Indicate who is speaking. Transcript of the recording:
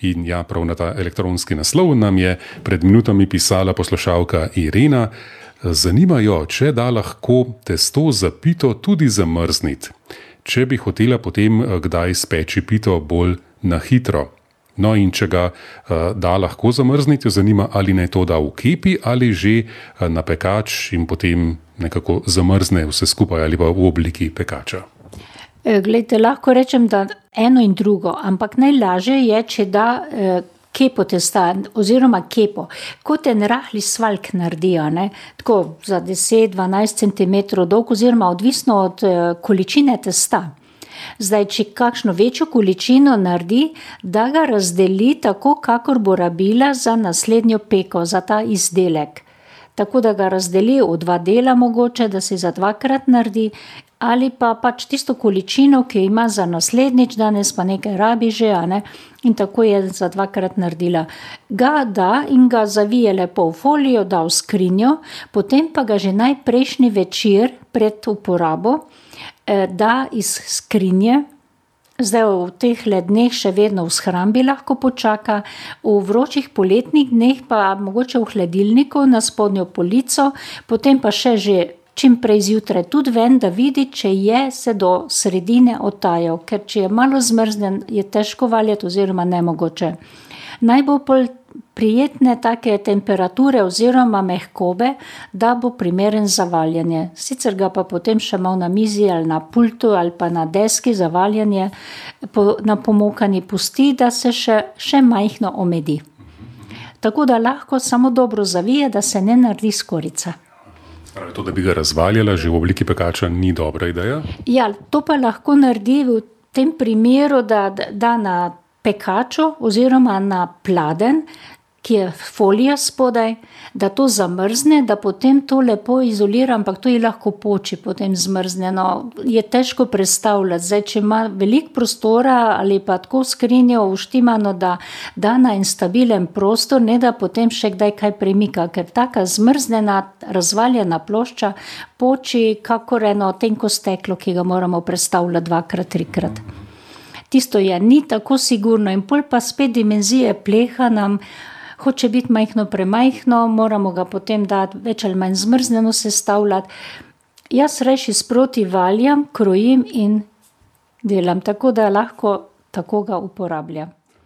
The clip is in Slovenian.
Speaker 1: In ja, prav na ta elektronski naslov nam je pred minutami pisala poslušalka Irena. Zanima jo, če da lahko testo za pito tudi zamrzniti, če bi hotela potem kdaj speči pito bolj na hitro. No in če ga da lahko zamrzniti, jo zanima, ali naj to da v kepi ali že na pekač in potem nekako zamrzne vse skupaj ali pa v obliki pekača.
Speaker 2: Glejte, lahko rečem, da eno in drugo, ampak najlažje je, če da kepo testa oziroma kepo, kot en rahli svaljk naredijo, tako za 10-12 cm dolg oziroma odvisno od količine testa. Zdaj, če kakšno večjo količino naredi, da ga razdeli tako, kakor bo rabila za naslednjo peko, za ta izdelek. Tako da ga razdeli v 2 dela mogoče, da se za 2-krat naredi, ali pa pač tisto količino, ki ima za naslednjič, danes pa nekaj rabi že, in tako je za 2-krat naredila. Ga da in ga zavije lepo v folijo, da v skrinjo, potem pa ga že najprejšnji večer pred uporabo da iz skrinje. Zdaj v teh dneh še vedno v shrambi lahko počaka, v vročih poletnih dneh pa mogoče v hladilniku na spodnjo polico, potem pa še že čim prej zjutraj tudi ven, da vidi, če je se do sredine odtajal, ker če je malo zmrznen, je težko valjati oziroma nemogoče. Najbolj prijetne take temperature oziroma mehkobe, da bo primeren za valjanje. Sicer ga pa potem še malo na mizi ali na pultu ali pa na deski za valjanje na pomokani pusti, da se še majhno omedi. Tako da lahko samo dobro zavije, da se ne naredi skorica.
Speaker 1: To, da bi ga razvaljala že v obliki pekača, ni dobra ideja?
Speaker 2: Ja, to pa lahko naredi v tem primeru, da da na pekaču oziroma na pladenj, ki je folija spodaj, da to zamrzne, da potem to lepo izolira, ampak to je lahko poči potem zmrznjeno. Je težko predstavljati. Zdaj, če ima veliko prostora ali pa tako skrinjo uštimano, da da na en stabilen prostor, ne da potem še kdaj kaj premika, ker taka zmrznjena, razvaljena plošča poči kakor eno tenko steklo, ki ga moramo prestavljati 2-krat, 3-krat. Tisto je ni tako sigurno in pol pa spet dimenzije pleha nam hoče biti majhno premajhno, moramo ga potem dati več ali manj zmrznjeno sestavljati. Jaz rajši sproti valjam, krojim in delam, tako da lahko tako ga uporabljam.